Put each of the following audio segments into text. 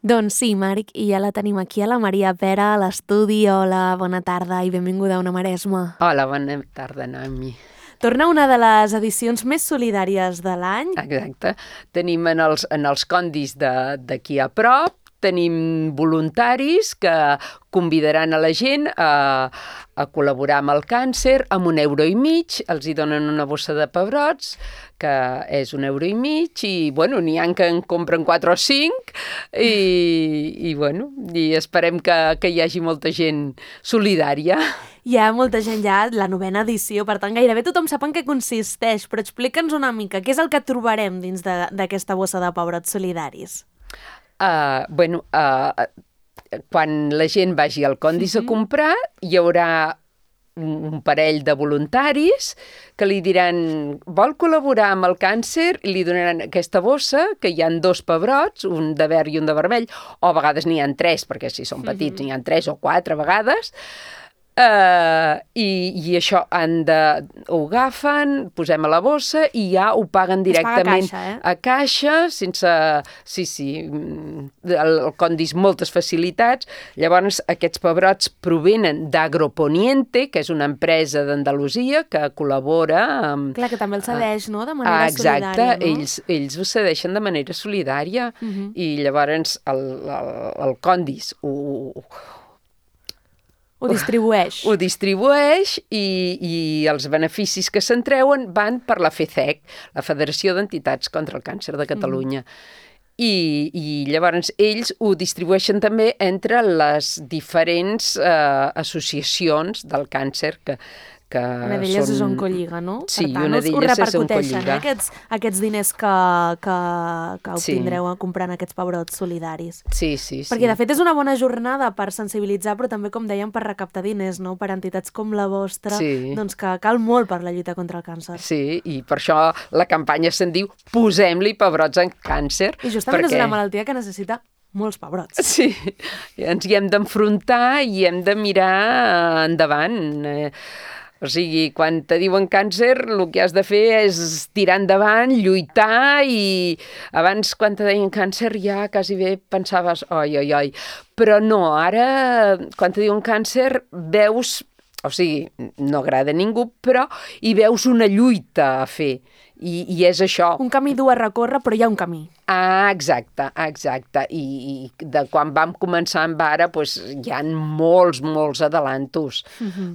Doncs sí, Marc, i ja la tenim aquí a la Maria Pera a l'estudi. Hola, bona tarda i benvinguda a Ona Maresma. Hola, bona tarda, Noemi. Torna una de les edicions més solidàries de l'any. Exacte. Tenim en els condis d'aquí a prop, tenim voluntaris que convidaran a la gent a col·laborar amb el càncer amb €1,50, els hi donen una bossa de pebrots, que és €1,50, i bueno, n'hi ha que en compren 4 o 5, i esperem que hi hagi molta gent solidària. Hi ha molta gent ja, la 9ª edició, per tant gairebé tothom sap en què consisteix, però explica'ns una mica, què és el que trobarem dins d'aquesta bossa de pebrots solidaris? Quan la gent vagi al Condis a comprar, hi haurà un parell de voluntaris que li diran vol col·laborar amb el càncer, i li donaran aquesta bossa, que hi ha 2 pebrots, un de verd i un de vermell, o a vegades n'hi ha 3, perquè si són petits n'hi ha 3 o 4 a vegades. I això ho agafen, posem a la bossa i ja ho paguen directament a caixa, sense... Sí, el Condis moltes facilitats. Llavors aquests pebrots provenen d'Agroponiente, que és una empresa d'Andalusia que col·labora amb... Clar, que també el cedeix, no?, de manera solidària. Exacte, ells ho cedeixen de manera solidària, i llavors el Condis ho distribueix. Ho distribueix, i els beneficis que se'n treuen van per la FECEC, la Federació d'Entitats contra el Càncer de Catalunya. I llavors ells ho distribueixen també entre les diferents associacions del càncer que una d'elles és Oncolliga, no? Sí, per tant, una d'elles és Oncolliga. Aquests diners que obtindreu comprant aquests pebrots solidaris. Sí. Perquè, de fet, és una bona jornada per sensibilitzar, però també, com dèiem, per recaptar diners, no?, per entitats com la vostra, doncs que cal molt per la lluita contra el càncer. Sí, i per això la campanya se'n diu Posem-li pebrots en càncer. I justament és una malaltia que necessita molts pebrots. Sí, ens hi hem d'enfrontar i hem de mirar endavant. O sigui, quan te diuen càncer, el que has de fer és tirar endavant, lluitar, i abans, quan te deien càncer, ja quasi bé pensaves, oi. Però no, ara, quan te diuen càncer, veus, o sigui, no agrada a ningú, però hi veus una lluita a fer. I és això. Un camí dur a recórrer, però hi ha un camí. Exacte. I de quan vam començar amb ara, doncs, hi ha molts adelantos,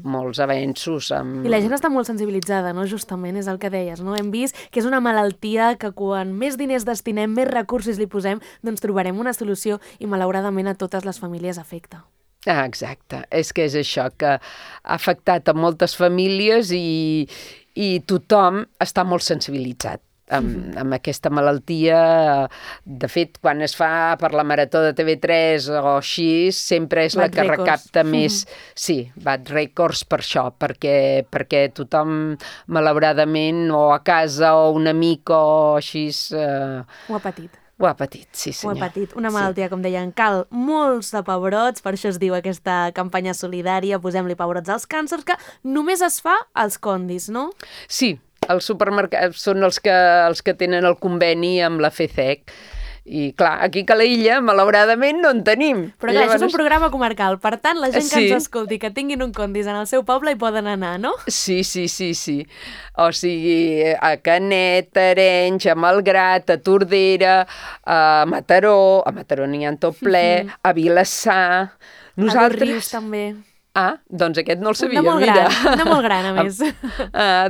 molts avenços. I la gent està molt sensibilitzada, no? Justament, és el que deies, no? Hem vist que és una malaltia que quan més diners destinem, més recursos li posem, doncs trobarem una solució, i malauradament a totes les famílies afecta. Exacte, és que és això, que ha afectat a moltes famílies, i tothom està molt sensibilitzat amb aquesta malaltia. De fet, quan es fa per la Marató de TV3 o així, sempre és la que recapta més. Sí, bat rècords per això, perquè tothom, malauradament, o a casa o un amic o així... Ho ha patit. Ho ha patit, sí senyor. Ho ha patit. Una malaltia, com deien, cal molts de pebrots, per això es diu aquesta campanya solidària, Posem-li pebrots als càncers, que només es fa als Condis, no? Sí, els supermercats són els que tenen el conveni amb la FECEC. I clar, aquí a Calella, malauradament, no en tenim. Però clar, això és un programa comarcal, per tant, la gent que ens escolti, que tinguin un Condis en el seu poble, hi poden anar, no? Sí. O sigui, a Canet, a Arenys, a Malgrat, a Tordera, a Mataró n'hi ha tot ple, a Vilassar... A Rius, també. Ah, doncs aquest no el sabia, de molt gran, a més.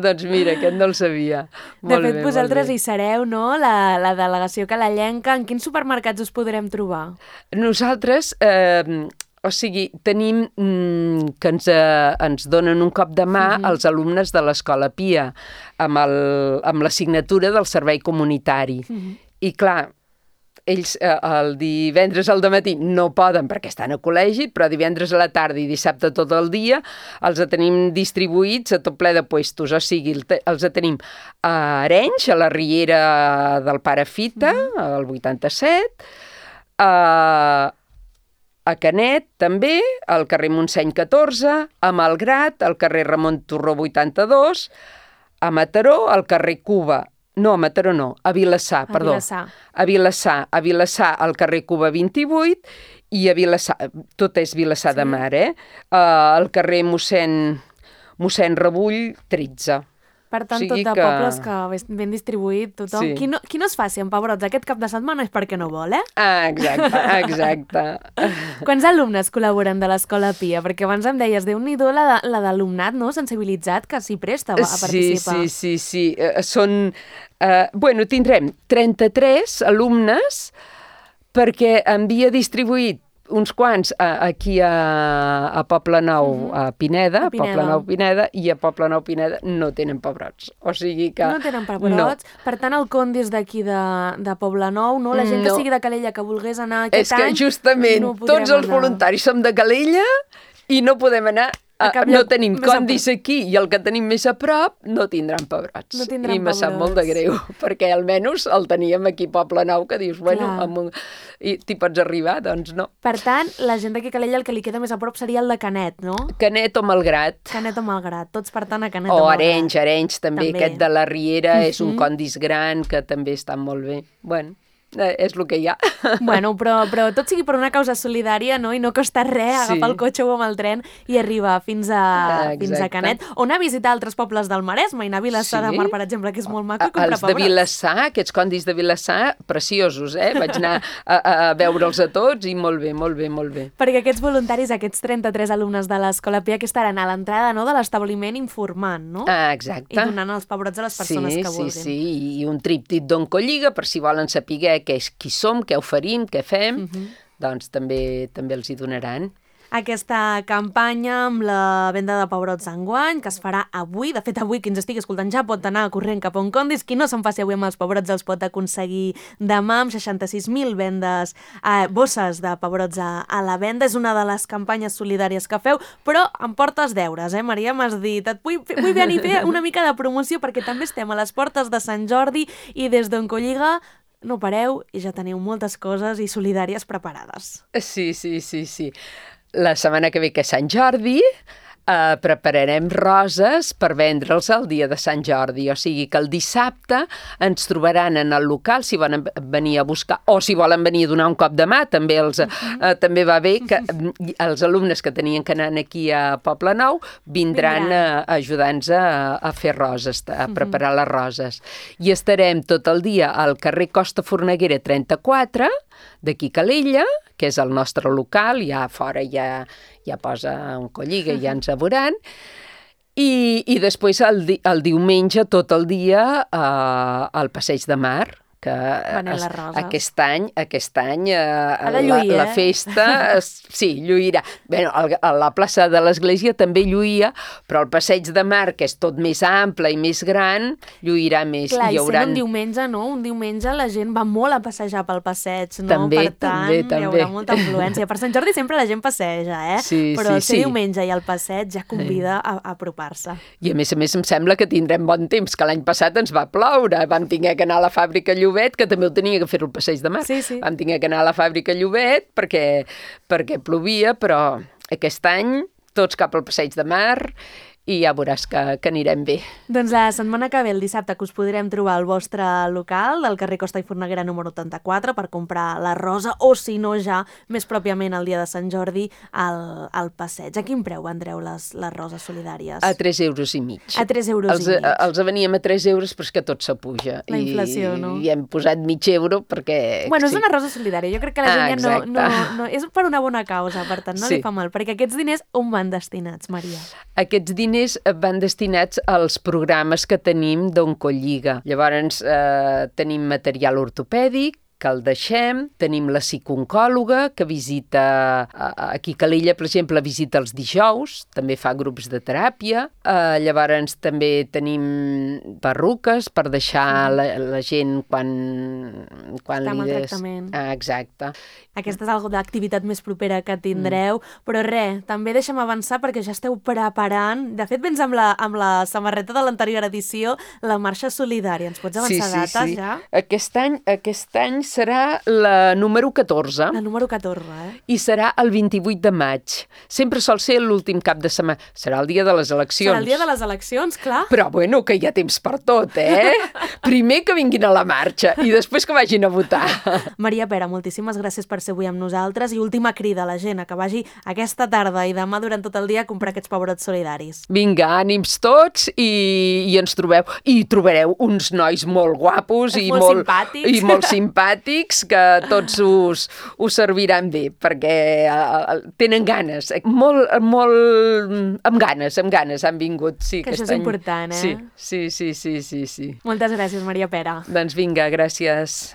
Doncs mira, aquest no el sabia. De fet, vosaltres hi sereu, no?, la delegació calellenca. En quins supermercats us podrem trobar? Nosaltres, tenim que ens donen un cop de mà als alumnes de l'Escola Pia, amb l'assignatura del servei comunitari. I clar, ells el divendres al dematí no poden perquè estan a col·legi, però divendres a la tarda i dissabte tot el dia els tenim distribuïts a tot ple de puestos. O sigui, els tenim a Arenys, a la Riera del Pare Fita, al 87, a Canet, també, al carrer Montseny 14, a Malgrat, al carrer Ramon Turró 82, a Mataró, al carrer Cuba No, a Mataró no, a Vilassar, perdó. A Vilassar, al carrer Cuba 28, i a Vilassar, tot és Vilassar de Mar, al carrer mossèn Rebull 13. Per tant, tot de pobles que ben distribuït, tothom. Sí. Qui no es faci amb pebrots aquest cap de setmana és perquè no vol, Exacte. Quants alumnes col·laboren de l'Escola Pia? Perquè abans em deies, Déu-n'hi-do la d'alumnat, no?, sensibilitzat, que s'hi presta a participar. Sí. Són... tindrem 33 alumnes perquè havia distribuït uns quants aquí a Poble Nou, a Pineda, Poble Nou Pineda, i a Poble Nou Pineda no tenen pebrots. O sigui que... No tenen pebrots. No. Per tant, el Condis d'aquí de Poble Nou, no? La gent que sigui de Calella que volgués anar aquest any... És que justament tots els voluntaris som de Calella i no podem anar... No tenim condis aquí i el que tenim més a prop no tindran pebrots. I me sap molt de greu, perquè almenys el teníem aquí a Poble Nou, que dius, i t'hi pots arribar, doncs no. Per tant, la gent d'aquí a Calella el que li queda més a prop seria el de Canet, no? Canet o Malgrat. Tots per tant a Canet o Malgrat. O Arenys també, aquest de la Riera és un condis gran que també està molt bé. Bueno, és el que hi ha. Bueno, però tot sigui per una causa solidària, no? I no costa res agafar el cotxe o amb el tren i arribar fins a Canet. O anar a visitar altres pobles del Maresme i anar a Vilassar de Mar, per exemple, que és molt maco, i comprar pebrots. Els de Vilassar, aquests condis de Vilassar, preciosos, Vaig anar a veure'ls a tots i molt bé. Perquè aquests voluntaris, aquests 33 alumnes de l'Escola Pia, que estaran a l'entrada de l'establiment informant, no? Exacte. I donant els pebrots a les persones que vulguin. Sí, i un tríptic d'Oncolliga, per si volen saber qui som, què oferim, què fem, doncs també els hi donaran. Aquesta campanya amb la venda de pebrots enguany, que es farà avui. De fet, avui, qui ens estigui escoltant ja pot anar corrent cap a un condis. Qui no se'n faci avui amb els pebrots els pot aconseguir demà amb 66.000 vendes, bosses de pebrots a la venda. És una de les campanyes solidàries que feu, però em portes deures, Maria? M'has dit, vull venir a fer una mica de promoció perquè també estem a les portes de Sant Jordi i des d'Oncolliga no pareu i ja teniu moltes coses i solidàries preparades. Sí. La setmana que ve, que és Sant Jordi, prepararem roses per vendre'ls el dia de Sant Jordi. O sigui que el dissabte ens trobaran en el local si volen venir a buscar o si volen venir a donar un cop de mà. També va bé que els alumnes que tenien que anar aquí a Poble Nou vindran a ajudar-nos a fer roses, a preparar les roses. I estarem tot el dia al carrer Costa Forneguera 34, d'aquí Calella, que és el nostre local, ja fora ja posa Oncolliga i ja ens veuran, i després el diumenge tot el dia al Passeig de Mar, que aquest any la festa lluirà. Bé, a la plaça de l'Església també lluïa, però el Passeig de Mar, que és tot més ample i més gran, lluirà més. Clar, i sent un diumenge, no? Un diumenge la gent va molt a passejar pel passeig, no? També, per tant, hi haurà molta influència. Per Sant Jordi sempre la gent passeja, però ser diumenge i el passeig ja convida a apropar-se. I a més em sembla que tindrem bon temps, que l'any passat ens va ploure. Vam haver d'anar a la fàbrica Llobet, que també ho tenia que fer el Passeig de Mar. Sí. Vam haver d'anar a la fàbrica Llobet perquè plovia, però aquest any tots cap al Passeig de Mar i ja veuràs que anirem bé. Doncs la setmana que ve, el dissabte, que us podrem trobar al vostre local, del carrer Costa i Forneguera número 84, per comprar la rosa, o si no ja, més pròpiament el dia de Sant Jordi, al passeig. A quin preu vendreu les roses solidàries? A 3,5 €. A 3,5 €. Els veníem a 3 €, però és que tot s'apuja. La inflació, no? I hem posat €0,5 perquè... Bueno, és una rosa solidària. Jo crec que la gent ja no... És per una bona causa, per tant, no li fa mal. Perquè aquests diners on van destinats, Maria? Aquests diners van destinats als programes que tenim d'Oncolliga. Llavors tenim material ortopèdic, que el deixem, tenim la psicooncòloga, que visita aquí a Calella, per exemple, visita els dijous, també fa grups de teràpia. Llavors també tenim perruques per deixar la gent quan està amb el tractament. Exacte. Aquesta és una activitat més propera que tindreu, però també deixem avançar perquè ja esteu preparant. De fet, vens amb la samarreta de l'anterior edició, la marxa solidària. Ens pots avançar dates ja? Aquest any serà la número 14. La número 14, I serà el 28 de maig. Sempre sol ser l'últim cap de setmana. Serà el dia de les eleccions. Serà el dia de les eleccions, clar. Però, bueno, que hi ha temps per tot, Primer que vinguin a la marxa i després que vagin a votar. Maria Pera, moltíssimes gràcies per ser avui amb nosaltres i última crida a la gent a que vagi aquesta tarda i demà durant tot el dia a comprar aquests pebrots solidaris. Vinga, ànims tots i ens trobeu. I trobareu uns nois molt guapos i molt simpàtics que tots us serviran bé perquè tenen ganes, molt amb ganes han vingut. Sí, que això és important, Sí. Moltes gràcies, Maria Pera. Doncs vinga, gràcies.